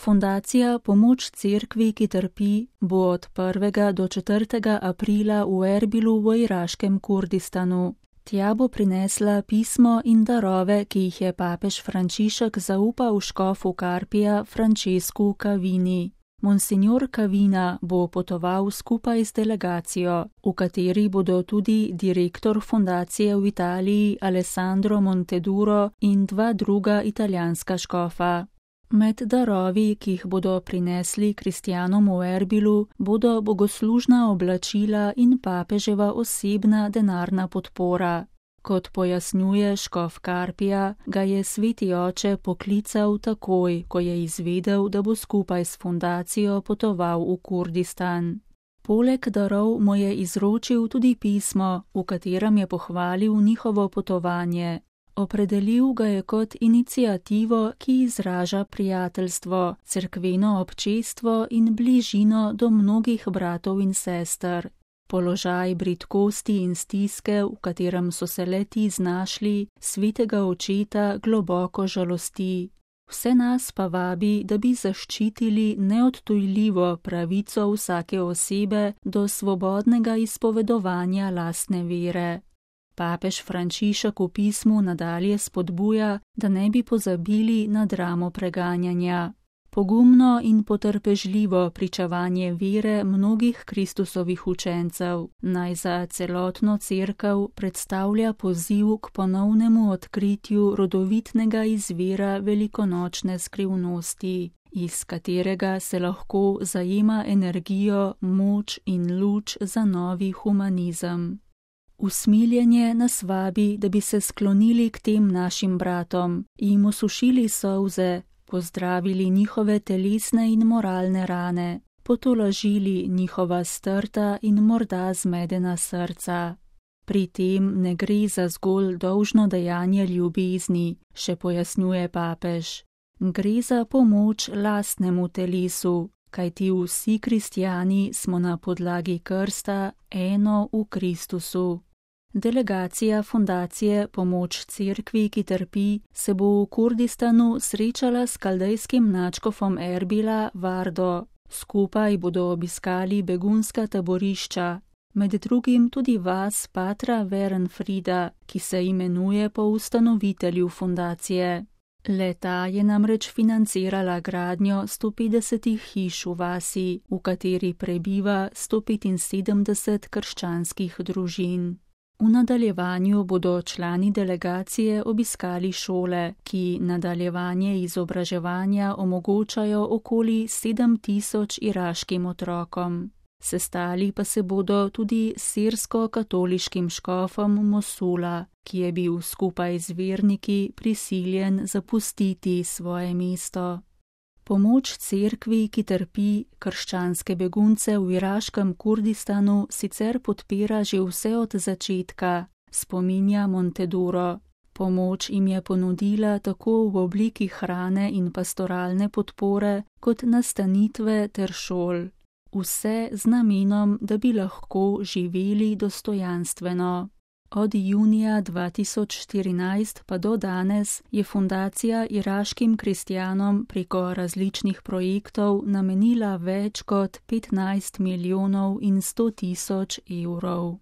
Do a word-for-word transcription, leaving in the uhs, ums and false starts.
Fundacija Pomoč cerkvi, ki trpi, bo od prvega do četrtega aprila v Erbilu v iraškem Kurdistanu. Tja bo prinesla pismo in darove, ki jih je papež Frančišek zaupal škofu Carpija Francescu Cavini. Monsignor Cavina bo potoval skupaj z delegacijo, v kateri bodo tudi direktor fundacije v Italiji Alessandro Monteduro in dva druga italijanska škofa. Med darovi, ki jih bodo prinesli kristjanom v Erbilu, bodo bogoslužna oblačila in papeževa osebna denarna podpora. Kot pojasnjuje škof Carpija, ga je sveti oče poklical takoj, ko je izvedel, da bo skupaj s fundacijo potoval v Kurdistan. Poleg darov mu je izročil tudi pismo, v katerem je pohvalil njihovo potovanje. Opredelil ga je kot iniciativo, ki izraža prijateljstvo, cerkveno občestvo in bližino do mnogih bratov in sester. Položaj bridkosti in stiske, v katerem so se le-ti znašli, svetega očeta globoko žalosti. Vse nas pa vabi, da bi zaščitili neodtujljivo pravico vsake osebe do svobodnega izpovedovanja lastne vere. Papež Frančišek v pismu nadalje spodbuja, da ne bi pozabili na dramo preganjanja. Pogumno in potrpežljivo pričevanje vere mnogih Kristusovih učencev naj za celotno cerkev predstavlja poziv k ponovnemu odkritju rodovitnega izvira velikonočne skrivnosti, iz katerega se lahko zajema energijo, moč in luč za novi humanizem. Usmiljenje nas vabi, da bi se sklonili k tem našim bratom, jim osušili solze, pozdravili njihove telesne in moralne rane, potolažili njihova strta in morda zmedena srca. Pri tem ne gre za zgolj dolžno dejanje ljubezni, še pojasnjuje papež. Gre za pomoč lastnemu telesu, kajti vsi kristjani smo na podlagi krsta eno v Kristusu. Delegacija fundacije Pomoč cerkvi, ki trpi, se bo v Kurdistanu srečala s kaldejskim nadškofom Erbila Vardo. Skupaj bodo obiskali begunska taborišča, med drugim tudi vas Patra Verenfrida, ki se imenuje po ustanovitelju fundacije. Le-ta je namreč financirala gradnjo sto petdeset hiš v vasi, v kateri prebiva sto petinsedemdeset krščanskih družin. V nadaljevanju bodo člani delegacije obiskali šole, ki nadaljevanje izobraževanja omogočajo okoli sedem tisoč iraškim otrokom. Sestali pa se bodo tudi s sirsko-katoliškim škofom Mosula, ki je bil skupaj z verniki prisiljen zapustiti svoje mesto. Pomoč cerkvi, ki trpi, krščanske begunce v iraškem Kurdistanu sicer podpira že vse od začetka, spominja Monteduro. Pomoč jim je ponudila tako v obliki hrane in pastoralne podpore, kot nastanitve ter šol. Vse z namenom, da bi lahko živeli dostojanstveno. Od junija dva tisoč štirinajst pa do danes je fundacija iraškim kristjanom preko različnih projektov namenila več kot petnajst milijonov in sto tisoč evrov.